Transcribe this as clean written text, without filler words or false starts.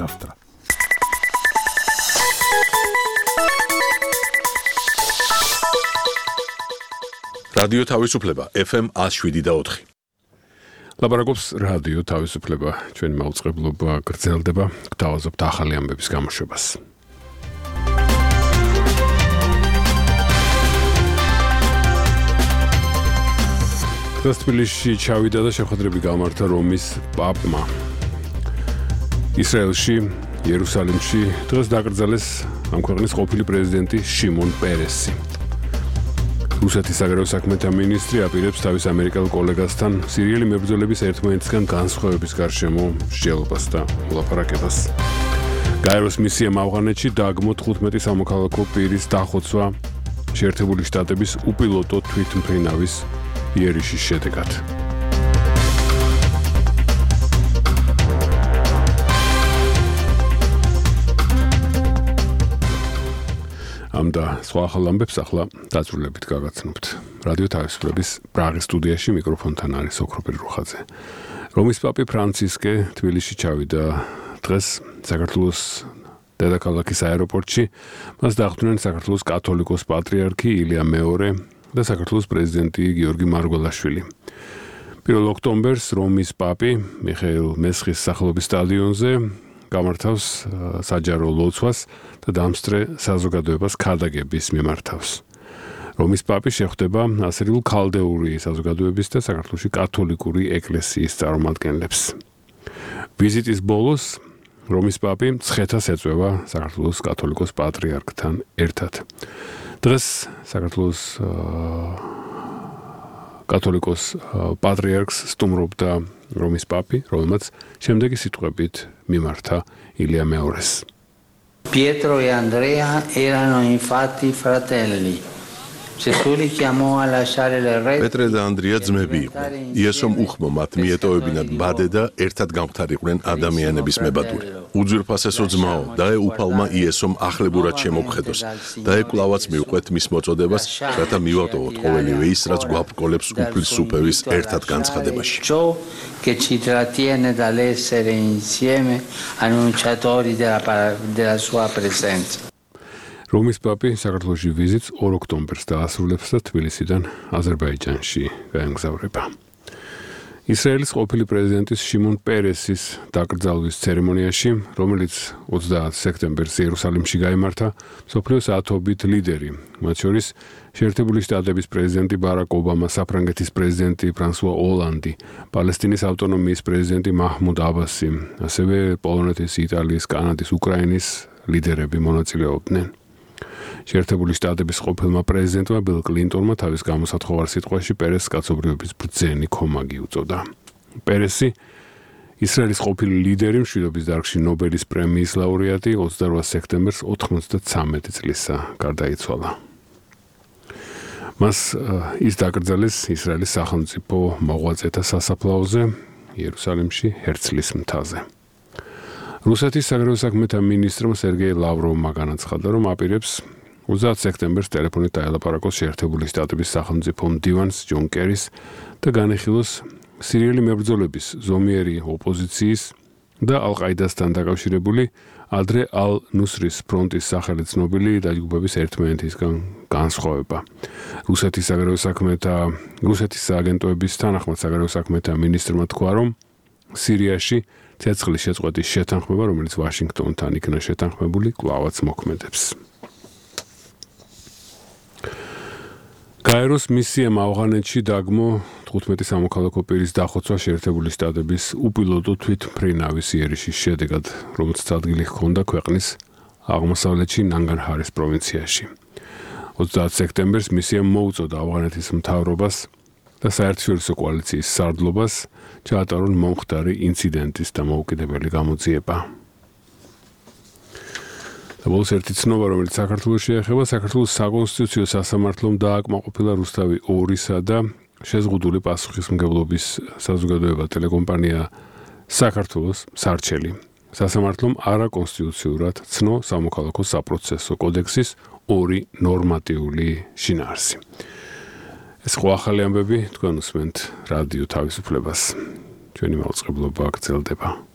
nostra. რადიო თავისუფლება FM 107.4. ლაპარაკობს რადიო თავისუფლება. ჩვენი მაუწყებლობა გრძელდება. გვთავაზობთ ახალი ამბების გამოშვებას. დღეს თბილისში ჩავიდა და შეხვედრები გამართა რომის პაპმა. ისრაელში, იერუსალიმში დღეს დაკრძალეს ამ ქვეყნის ყოფილი პრეზიდენტი შიმონ პერესი. რუსეთის საგარეო საქმეთა მინისტრი აპირებს თავის ამერიკელ კოლეგასთან სირიელი მებრძოლების ერთმანეთისგან განსხვავების გარშემო მსჯელობას და ლაპარაკებას. გაეროს მისიამ ავღანეთში დაგმო 15 სამოქალაქო პირის დახოცვა შეერთებული შტატების უპილოტო თვითმფრინავის იერიშის შედეგად. ამ და სხვა ახალ ამბებს ახლა დაწვრილებით გაგაცნობთ. რადიო თავისუფლების პრაღის სტუდიაში მიკროფონთან არის ოქროპირი რუხაძე. რომის პაპი ფრანცისკე თბილისში ჩავიდა დღეს საქართველოს დედაქალაქის აეროპორტში. მას დახვდნენ საქართველოს კათოლიკოს პატრიარქი ილია მეორე და საქართველოს პრეზიდენტი გიორგი მარგველაშვილი. 1 ოქტომბერს რომის პაპი მიხეილ მესხის სახელობის სტადიონზე გამართავს საჯარო ლოცვას და დამსწრე საზოგადოებას ქადაგების მიმართავს. რომის პაპი შეხვდება ასრიულ ქალდეული საზოგადოების და საქართველოში კათოლიკური ეკლესიის წარმომადგენლებს. ვიზიტის ბოლოს რომის პაპი მცხეთას ეწვევა საქართველოს კათოლიკოს პატრიარქთან ერთად. დღეს საქართველოს კათოლიკოს პატრიარქს სტუმრობდა რომის პაპი, რომელმაც შემდეგი სიტყვებით მიმართა ილია მეორეს. Pietro e Andrea erano infatti fratelli. Gesù li chiamò a lasciare le reti. პეტრე და ანდრია ძმები იყვნენ. იესომ უხმო მათ მიეტოვებინათ ბადე და ერთად გამختარიყვნენ ადამიანების მებადური. უძვირფასესო ძმაო, დაეუფალმა იესომ ახლებურად შემოგხედოს. დაეკვლავაც მივყვეთ მის მოწოდებას, რათა მივატოვოთ ყოველივე ის, რაც გვაბრკოლებს უფლისუფევის ერთად განცხადებაში. Che ci trattiene dall'essere insieme annunciatori della sua presenza. რომის პაპი საქართველოში ვიზიტს 2 ოქტომბერს დაასრულებს და თბილისიდან აზერბაიჯანში გაემგზავრება. ისრაელის ყოფილი პრეზიდენტის შიმონ პერესის დაკრძალვის ცერემონიაში, რომელიც 30 სექტემბერს იერუსალიმში გაიმართა, მსოფლიოს ათობით ლიდერი, მათ შორის შეერთებული შტატების პრეზიდენტი ბარაკ ობამა, საფრანგეთის პრეზიდენტი ფრანსუა ოლანდი, პალესტინის ავტონომიის პრეზიდენტი მაჰმუდ აბასი, ასევე პოლონეთის, იტალიის, კანადის, უკრაინის ლიდერები მონაწილეობდნენ. შეერთებული შტატების ყოფილმა პრეზიდენტმა ბილ კლინტონმა თავის გამოსათხოვარ სიტყვაში პერესს კაცობრიობის ბრძენი ქომაგი უწოდა. პერესი ისრაელის ყოფილი ლიდერი, მშვიდობის დარგში ნობელის პრემიის ლაურეატი 28 სექტემბერს 93 წლისა გარდაიცვალა. მას ის დაკრძალეს ისრაელის სახელმწიფო მოღვაწეთა სასაფლაოზე იერუსალიმში ჰერცლის მთაზე. რუსეთის საგარეო საქმეთა მინისტრმა სერგეი ლავროვმა განაცხადა, რომ აპირებს 30 სექტემბერს ტელეფონით დაელაპარაკოს შეერთებული შტატების სახელმწიფო მდივანს ჯონ კერის და განეხილოს სირიელი მებრძოლების, ზომიერი ოპოზიციის და ალ-ყაიდასთან დაკავშირებული ადრე ალ-ნუსრის ფრონტის სახელით ცნობილი დაჯგუფების ერთმანეთისგან განსხვავება. რუსეთის სააგენტოების თანახმად საგარეო საქმეთა მინისტრმა თქვა, რომ სირიაში ცეცხლის შეწყვეტის შეთანხმება, რომელიც ვაშინგტონთან იქნა შეთანხმებული, კვლავაც მოქმედებს. გაეროს მისიამ ავღანეთში დაგმო 15 სამოქალაქო პირის დახოცვა შეერთებული შტატების უპილოტო თვითმფრინავის იერიშის შედეგად, რომელიც ადგილი ჰქონდა ქვეყნის აღმოსავლეთში ნანგარჰარის პროვინციაში. 30 სექტემბერს მისიამ მოუწოდა ავღანეთის მთავრობას და საერთაშორისო კოალიციის სარდლობას ჩაატარონ მომხდარი ინციდენტის დამოუკიდებელი გამოძიება. და ბოლოს ერთი ცნობა, რომელიც საქართველოს შეეხება, საქართველოს საკონსტიტუციო სასამართლომ დააკმაყოფილა რუსთავი 2-სა და შეზღუდული პასუხისმგებლობის საზოგადოება ტელეკომპანია საქართველოს სარჩელი. სასამართლომ არაკონსტიტუციურად ცნო სამოქალაქო საპროცესო კოდექსის 2 ნორმატიული შინაარსი. ეს ხო ახალი ამბები თქვენ უსმენთ რადიო თავისუფლებას. ჩვენი მაუწყებლობა გრძელდება.